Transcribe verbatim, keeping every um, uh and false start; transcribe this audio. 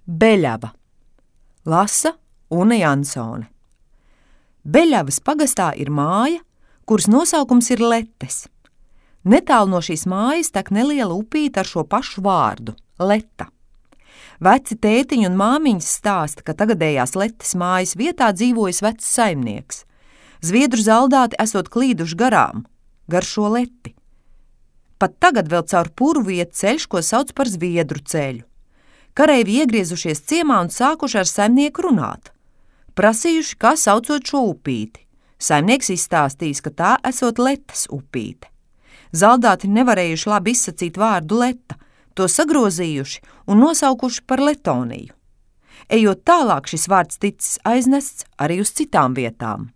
Beļava. Lasa Une Jansone. Beļavas pagastā ir māja, kuras nosaukums ir Letes. Netālu no šīs mājas tek neliela upīte ar šo pašu vārdu – Leta. Veci tētiņi un māmiņas stāsta, ka tagadējās Letes mājas vietā dzīvojas vecs saimnieks. Zviedru zaldāti esot klīduši garām, gar šo Leti. Pat tagad vēl caur purvu iet ceļš, ko sauc par Zviedru ceļu. Kareivji iegriezušies ciemā un sākuši ar saimnieku runāt. Prasījuši, kā saucot šo upīti. Saimnieks izstāstījis, ka tā esot Letes upīte. Zaldāti nevarējuši labi izsacīt vārdu Leta, to sagrozījuši un nosaukuši par Letoniju. Ejot tālāk, šis vārds ticis aiznests arī uz citām vietām.